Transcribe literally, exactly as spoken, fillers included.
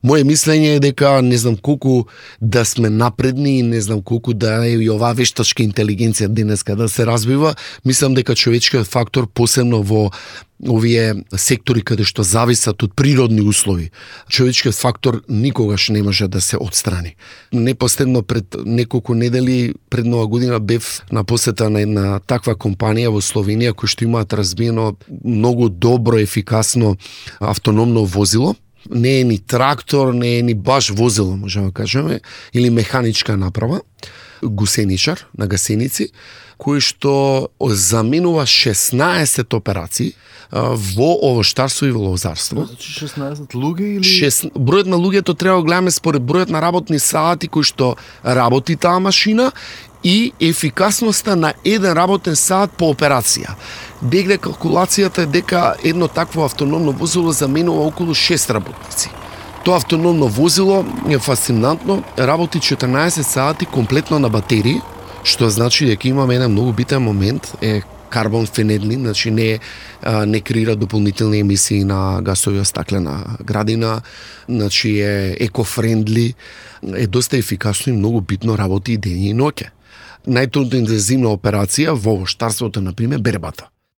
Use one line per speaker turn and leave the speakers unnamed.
Моje мислење е дека не знам колку да сме напредни, не знам колку да е и оваа вештачка интелигенција денеска да се развива, мислам дека човечкиот фактор посебно во овие сектори каде што зависат од природни услови, човечкиот фактор никогаш не може да се отстрани. Непоследно пред неколку недели пред нова година бев на посета на една таква компанија во Словенија кој што имаат разбиено многу добро, ефикасно автономно возило. Не е ни трактор, не е ни баш возило, можеме да кажеме, или механичка направа, гусеничар на гасеници, кој што заменува шеснаесет операции во овоштарство и во лозарство.
Значи шеснаесет луѓе или
Шест... Бројот на луѓето треба да гледаме според бројот на работни сати кои што работи таа машина и ефикасноста на еден работен сат по операција. Дегде калкулацијата е дека едно такво автономно возило заменува околу шест работници. Тоа автономно возило е фасцинантно, работи четрнаесет сати комплетно на батерии, што значи дека имаме еден многу битен момент, е карбон фенедни, значи не не креира дополнителни емисии на гасови од стаклена градина, значи е екофрендли, е доста ефикасно и многу битно работи и дење и ноќе. Најтрудно интензивна операција во овоштарството, например, бербата.